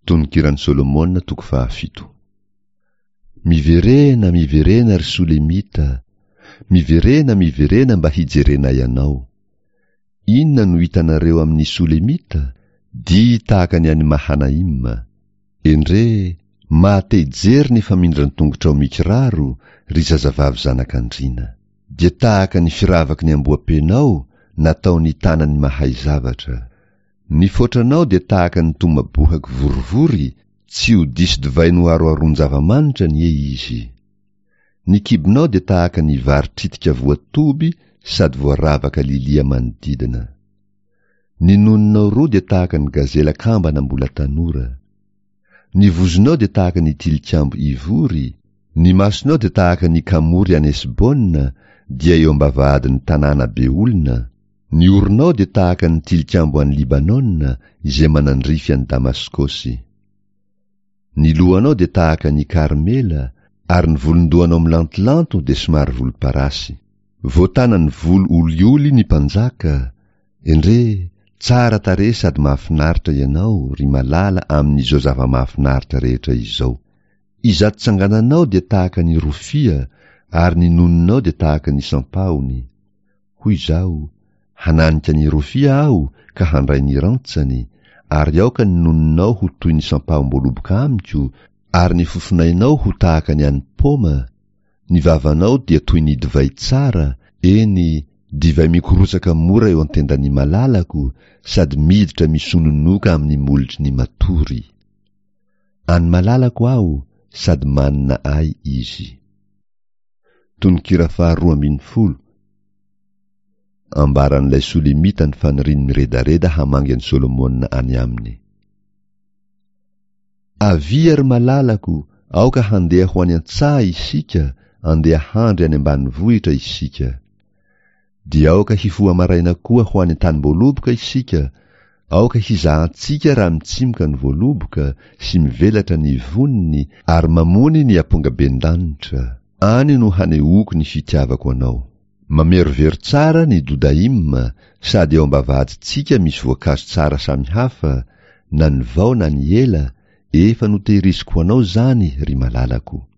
Tononkiran'i Solomona toko fahafito. Miverena, miverena ry Solemita, miverena, miverena mba hijerenay anao. Inona no hitanareo amin'ny Solemita? Dihy tahaka ny an'i Mahanaima. Endrey, maha-te-hijery ny famindran-tongotrao mikiraro, ry zazavavy zanak'andriana. Dia tahaka ny firavaky ny amboapenao nataon'ny tanan'ny mahay zavatra. Ny fotranao dia tahaka ny tomabohako vorivory, tsy ho diso divay noharoharoan-java-manitra anie izy. Ny kibonao dia tahaka ny vary tritika voatoby sady voaravaka lilia manodidina. Ny nononao roa dia tahaka ny gazela kambana mbola tanora. Ny vozonao dia tahaka ny tilikambo ivory, ny masonao dia tahaka ny kamory any Hesbona, dia eo am-bavahadin'ny tanàna be olona, ny oronao dia tahaka ny tilikambo any Libanona izay manandrify an'i Damaskosy. Ny lohanao dia tahaka ny Karmela, ary ny volon-dohanao milantolanto dia somary volomparasy. Voatanan'ny volo olioly ny mpanjaka, Endrey, tsara tarehy sady mahafinaritra ianao, ry malala, amin'izao zava-mahafinaritra rehetra izao. Izato tsangananao dia tahaka ny rofia, ary ny nononao dia tahaka ny sampahony. Hoy izaho, Hananika ny rofia aho ka handray ny rantsany, ary aoka ny nononao ho toy ny sampahom-boaloboka amiko, ary ny fofonainao ho tahaka ny an'ny paoma, Ny vavanao dia toy ny divay tsara, eny, divay mikorotsaka mora eo an-tendan'ny malalako, sady miditra misononoka amin'ny molotry ny matory. An'ny malalako aho, sady manina ahy izy. Tononkira faharoa ambinifolo, Ambaran'ilay Solemita ny faniriany miredareda hamangy an'i Solomona any aminy. Avia ry malalako, aoka handeha ho any an-tsaha isika, andeha handry any ambanivohitra isika. Dia aoka hifoha maraina koa ho any an-tanim-boaloboka isika, aoka hizahantsika raha mitsimoka ny voaloboka sy mivelatra ny voniny ary mamony ny ampongabendanitra. Any no hanehoako ny fitiavako anao. Mamerovero tsara ny Dudaim sady eo am-bavahadintsika misy voankazo tsara samihafa, na ny vao na ny ela, efa notehiriziko ho anao izany, ry malalako.